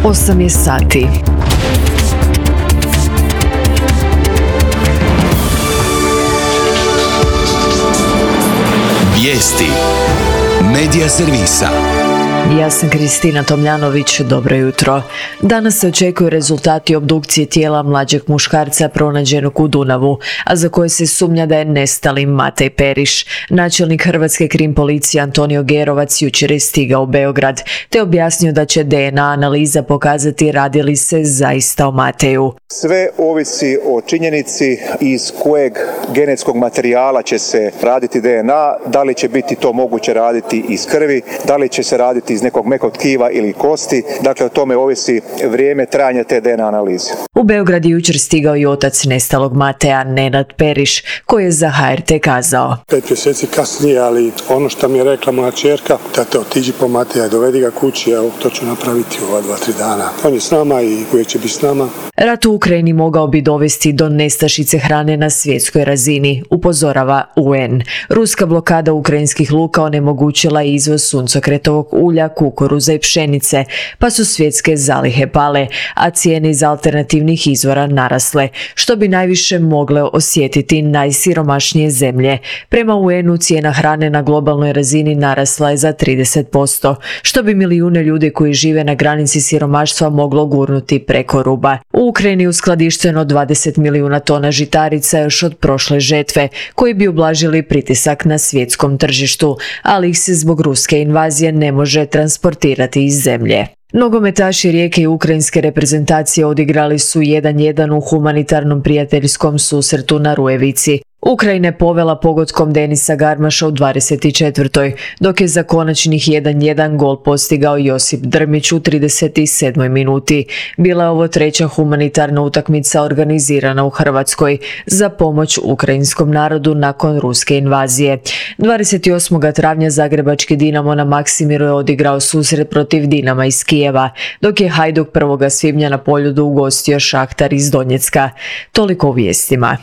8 je sati. Vijesti Medija servisa. Ja sam Kristina Tomljanović, dobro jutro. Danas se očekuju rezultati obdukcije tijela mlađeg muškarca pronađenog u Dunavu, a za koje se sumnja da je nestali Matej Periš. Načelnik Hrvatske krim policije Antonio Gerovac jučer je stigao u Beograd, te objasnio da će DNA analiza pokazati radi li se zaista o Mateju. Sve ovisi o činjenici iz kojeg genetskog materijala će se raditi DNA, da li će biti to moguće raditi iz krvi, da li će se raditi iz nekog mekog tkiva ili kosti. Dakle, o tome ovisi vrijeme trajanja te DNA analize. U Beograd je jučer stigao i otac nestalog Mateja, Nenad Periš, koji je za HRT kazao: 5 mjeseci kasnije, ali ono što mi je rekla moja ćerka, tate, otiđi po Mateja, dovedi ga kući, evo, to ću napraviti u ova 2-3 dana. On je s nama i uvijek će biti s nama. Rat u Ukrajini mogao bi dovesti do nestašice hrane na svjetskoj razini, upozorava UN. Ruska blokada ukrajinskih luka onemogućila je izvoz suncokretovog ulja, kukuruza i pšenice, pa su svjetske zalihe pale, a cijene iz alternativnih izvora narasle, što bi najviše mogle osjetiti najsiromašnije zemlje. Prema UN-u cijena hrane na globalnoj razini narasla je za 30%, što bi milijune ljudi koji žive na granici siromaštva moglo gurnuti preko ruba. U Ukrajini uskladišteno 20 milijuna tona žitarica još od prošle žetve, koji bi ublažili pritisak na svjetskom tržištu, ali ih se zbog ruske invazije ne može transportirati iz zemlje. Nogometaši Rijeke i ukrajinske reprezentacije odigrali su 1:1 u humanitarnom prijateljskom susretu na Rujevici. Ukrajina je povela pogodkom Denisa Garmaša u 24. dok je za konačnih 1:1 gol postigao Josip Drmić u 37. minuti. Bila je ovo treća humanitarna utakmica organizirana u Hrvatskoj za pomoć ukrajinskom narodu nakon ruske invazije. 28. travnja zagrebački Dinamo na Maksimiru je odigrao susret protiv Dinama iz Kijeva, dok je Hajduk 1. svibnja na Poljudu ugostio Šahtar iz Donjecka. Toliko u vijestima.